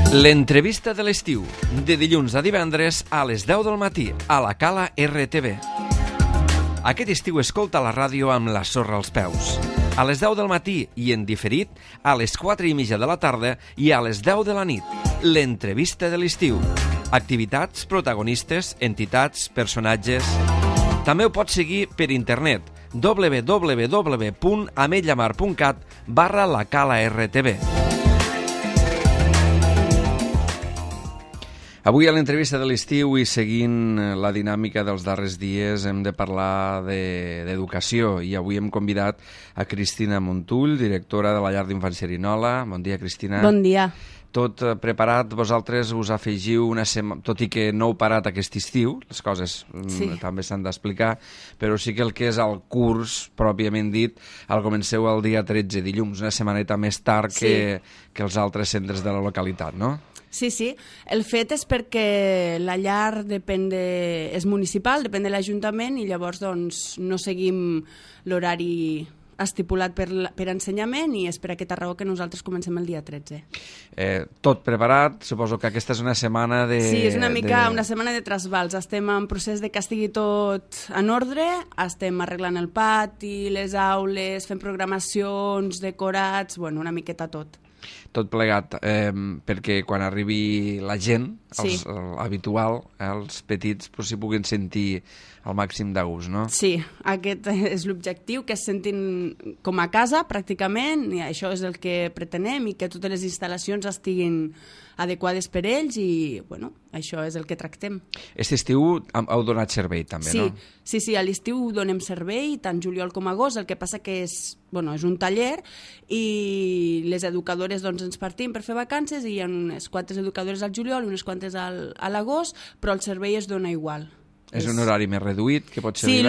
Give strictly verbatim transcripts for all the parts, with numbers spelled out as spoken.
L'entrevista de l'estiu, de dilluns a divendres a les deu del matí, a la Cala R T V. Aquest estiu escolta la ràdio amb la sorra als peus. A les deu del matí i en diferit, a les quatre i mitja de la tarda i a les deu de la nit. L'entrevista de l'estiu. Activitats, protagonistes, entitats, personatges... També ho pots seguir per internet, w w w punt ametlla mar punt cat barra la Cala R T V. Avui a l'entrevista de l'estiu i seguint la dinàmica dels darrers dies hem de parlar d'educació i avui hem convidat a Cristina Montull, directora de la Llar d'Infants Cerinola. Bon dia, Cristina. Bon dia. Tot preparat, vosaltres us afegiu una setmana, tot i que no heu parat aquest estiu, les coses sí. també s'han d'explicar, però sí que el que és el curs, pròpiament dit, el comenceu el dia tretze, dilluns, una setmaneta més tard sí. que, que els altres centres de la localitat, no? Sí, sí. El fet és perquè la llar depèn de... és municipal, depèn de l'Ajuntament i llavors doncs, no seguim l'horari estipulat per, per ensenyament i és per aquesta raó que nosaltres comencem el dia tretze. Eh, tot preparat, suposo que aquesta és una setmana de... Sí, és una mica de... una setmana de trasbals. Estem en procés de que estigui tot en ordre, estem arreglant el pati, les aules, fent programacions, decorats, bueno, una miqueta tot. Tot plegat, eh, perquè quan arribi la gent, els, sí. l'habitual, eh, els petits, però s'hi puguin sentir al màxim de gust, no? Sí, aquest és l'objectiu, que es sentin com a casa, pràcticament, i això és el que pretenem, i que totes les instal·lacions estiguin adequades per ells, i, bueno, això és el que tractem. Aquest estiu heu donat servei, també, sí, no? Sí, sí, a l'estiu donem servei, tant juliol com agost, el que passa que és, bueno, és un taller, i les educadores doncs, ens partim per fer vacances, i hi ha unes quantes educadores al juliol, unes quantes al, a l'agost, però el servei es dona igual. És un horari més reduït, que pot ser... Sí,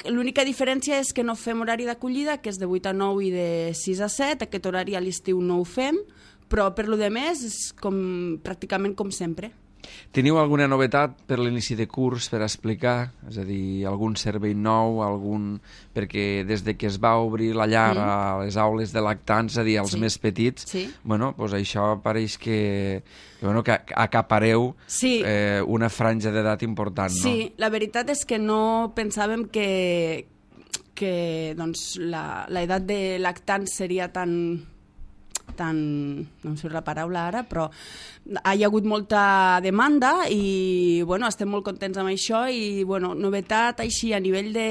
l'única diferència és que no fem horari d'acollida, que és de vuit a nou i de sis a set, aquest horari a l'estiu no ho fem, però per lo de més és com, pràcticament com sempre. Teniu alguna novetat per l'inici de curs per explicar? És a dir, algun servei nou, algun... perquè des de que es va obrir la llar mm. a les aules de lactants, és a dir, als sí. més petits, sí. bueno, doncs això pareix que, que, bueno, que acapareu sí. eh, una franja d'edat important, no? Sí, la veritat és que no pensàvem que, que doncs, l'edat de lactants seria tan... tan, no em surt la paraula ara, però hi ha hagut molta demanda i bueno, estem molt contents amb això i bueno, novetat així a nivell de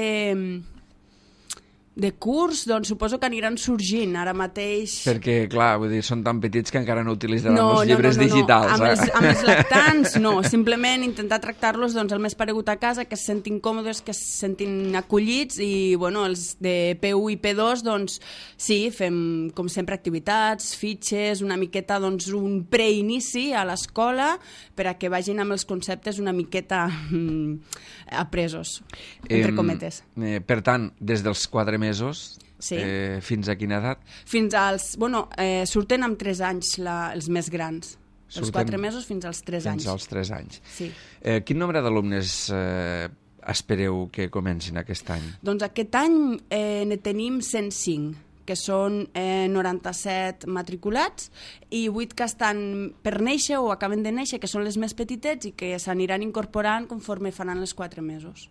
de curs, doncs suposo que aniran sorgint ara mateix. Perquè, clar, vull dir, són tan petits que encara no utilitzaran no, els llibres no, no, no, digitals. No. Amb, eh? els, amb els lactants, no. Simplement intentar tractar-los doncs, el més paregut a casa, que es sentin còmodes, que es sentin acollits i, bueno, els de P u i P dos, doncs, sí, fem, com sempre, activitats, fitxes, una miqueta, doncs, un preinici a l'escola per a que vagin amb els conceptes una miqueta mm, apresos, entre eh, cometes. Eh, per tant, des dels quatre mesos sí. eh, fins a quina edat? Fins als... Bueno, eh, surten amb tres anys la, els més grans. Surten els quatre mesos fins als tres anys. Fins als tres anys. Sí. Eh, quin nombre d'alumnes eh, espereu que comencin aquest any? Doncs aquest any eh, ne tenim cent cinc, que són eh, noranta-set matriculats i vuit que estan per néixer o acaben de néixer, que són les més petitets i que s'aniran incorporant conforme faran els quatre mesos.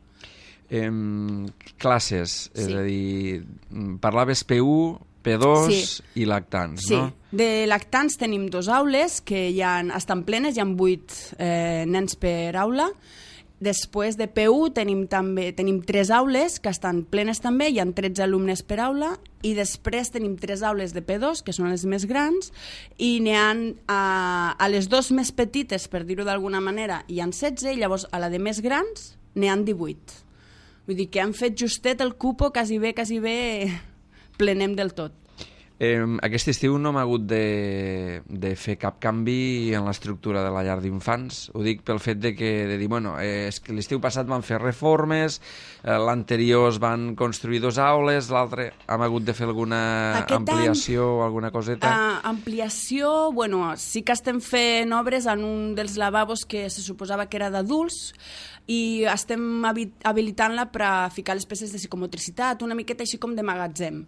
Eh, classes, és sí. a dir, parlaves P u, P dos sí. i lactants, sí. no? Sí, de lactants tenim dos aules que ja estan plenes, hi ha vuit eh, nens per aula. Després de P u tenim també tenim tres aules que estan plenes també, hi ha tretze alumnes per aula, i després tenim tres aules de P dos, que són les més grans, i n'hi ha a, a les dues més petites, per dir-ho d'alguna manera, hi ha setze, i llavors a la de més grans n'hi ha divuit. Vull dir que han fet justet el cupo, quasi bé, quasi bé plenem del tot. Eh, aquest estiu no hem hagut de, de fer cap canvi en l'estructura de la llar d'infants. Ho dic pel fet de que de dir, bueno, eh, és que l'estiu passat van fer reformes, eh, l'anterior es van construir dos aules, l'altre hem hagut de fer alguna Aquest ampliació o alguna coseta? Uh, ampliació, bueno, sí que estem fent obres en un dels lavabos que se suposava que era d'adults, i estem habilitant-la per a ficar les peces de psicomotricitat, una miqueta així com de magatzem.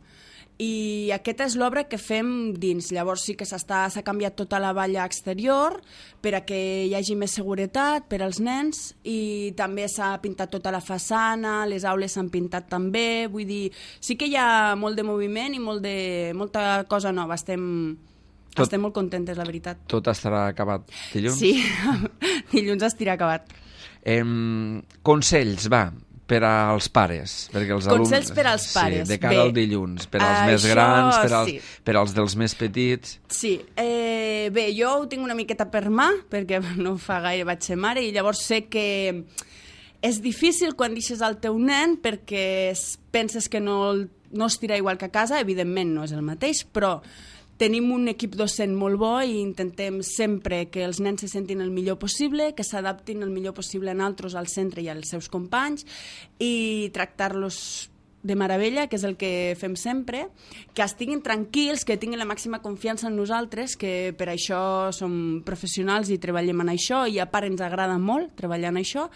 i aquesta és l'obra que fem dins. Llavors sí que s'ha canviat tota la valla exterior per a que hi hagi més seguretat per als nens, i també s'ha pintat tota la façana, les aules s'han pintat també, vull dir, sí que hi ha molt de moviment i molt de, molta cosa nova, estem, tot, estem molt contentes, la veritat. Tot estarà acabat dilluns? Sí, dilluns estarà acabat. Eh, consells, va, per als pares, perquè els alumnes... Consells per als pares. Sí, de cara Bé, al dilluns, per als això, més grans, per als, sí. per als dels més petits... Sí, eh, bé, jo ho tinc una miqueta per mà, perquè no fa gaire vaig ser mare, i llavors sé que és difícil quan deixes el teu nen perquè penses que no, no es tira igual que a casa, evidentment no és el mateix, però tenim un equip docent molt bo i intentem sempre que els nens se sentin el millor possible, que s'adaptin el millor possible a nosaltres, al centre i als seus companys, i tractar-los de meravella, que és el que fem sempre, que estiguin tranquils, que tinguin la màxima confiança en nosaltres, que per això som professionals i treballem en això, i a part ens agrada molt treballar en això.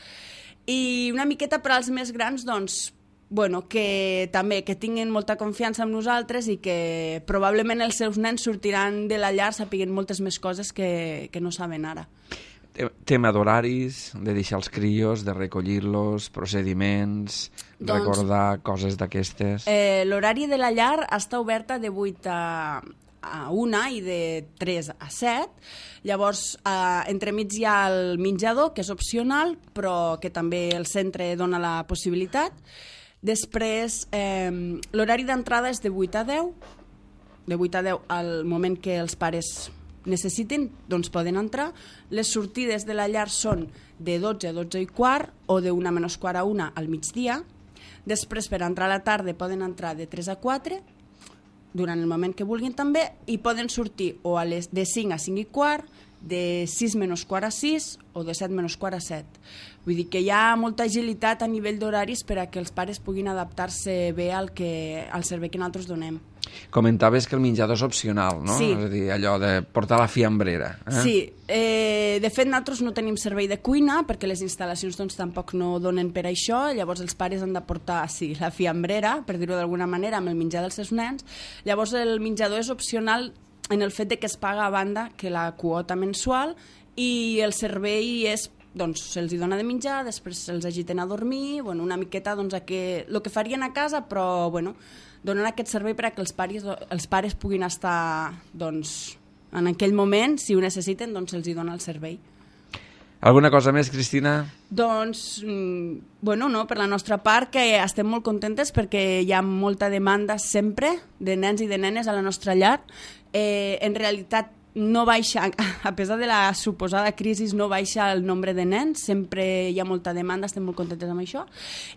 I una miqueta per als més grans, doncs, bueno, que també que tinguin molta confiança en nosaltres i que probablement els seus nens sortiran de la llar sapiguent moltes més coses que, que no saben ara. Tema d'horaris, de deixar els crios, de recollir-los, procediments, doncs, recordar coses d'aquestes... Eh, L'horari de la llar està oberta de vuit a una i de tres a set. Llavors, eh, entremig hi ha el menjador, que és opcional, però que també el centre dona la possibilitat. Després, eh, l'horari d'entrada és de vuit a deu, de vuit a deu al moment que els pares necessitin, doncs poden entrar. Les sortides de la llar són de dotze a dotze i quart o de una menys quart a una al migdia. Després, per entrar a la tarda, poden entrar de tres a quatre, durant el moment que vulguin també, i poden sortir o a les de cinc a cinc i quart, de sis menys quart a sis o de set menys quart a set. Vull dir que hi ha molta agilitat a nivell d'horaris per a que els pares puguin adaptar-se bé al, que, al servei que nosaltres donem. Comentaves que el menjador és opcional, no? Sí. És a dir, allò de portar la fiambrera. Eh? Sí, eh, de fet nosaltres no tenim servei de cuina perquè les instal·lacions doncs, tampoc no donen per això, llavors els pares han de portar sí, la fiambrera, per dir-ho d'alguna manera, amb el menjar dels seus nens. Llavors el menjador és opcional en el fet de que es paga a banda que la quota mensual, i el servei és, doncs, se'ls dona de menjar, després se'ls agiten a dormir, bueno, una miqueta doncs, a que, el que farien a casa, però bueno, donen aquest servei per a que els pares, els pares puguin estar doncs, en aquell moment, si ho necessiten, doncs se'ls dona el servei. Alguna cosa més, Cristina? Doncs, bueno, no, per la nostra part, que estem molt contentes perquè hi ha molta demanda sempre de nens i de nenes a la nostra llar. Eh, en realitat, no baixa, a pesar de la suposada crisi, no baixa el nombre de nens, sempre hi ha molta demanda, estem molt contentes amb això,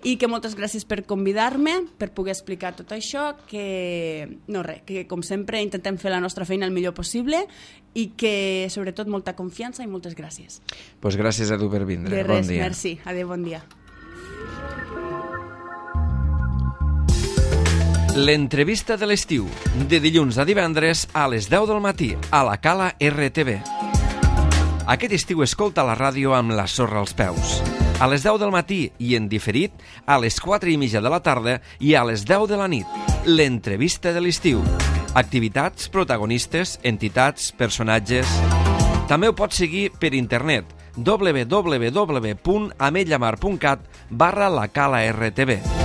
i que moltes gràcies per convidar-me, per poder explicar tot això, que, no res, que com sempre intentem fer la nostra feina el millor possible, i que sobretot molta confiança i moltes gràcies. Doncs pues gràcies a tu per vindre. De res, bon dia. Merci. Adéu, bon dia. L'entrevista de l'estiu, de dilluns a divendres a les deu del matí, a la Cala R T V. Aquest estiu escolta la ràdio amb la sorra als peus. A les deu del matí i en diferit, a les quatre i mitja de la tarda i a les deu de la nit. L'entrevista de l'estiu. Activitats, protagonistes, entitats, personatges... També ho pots seguir per internet, w w w punt ametlamar punt cat barra la Cala R T V.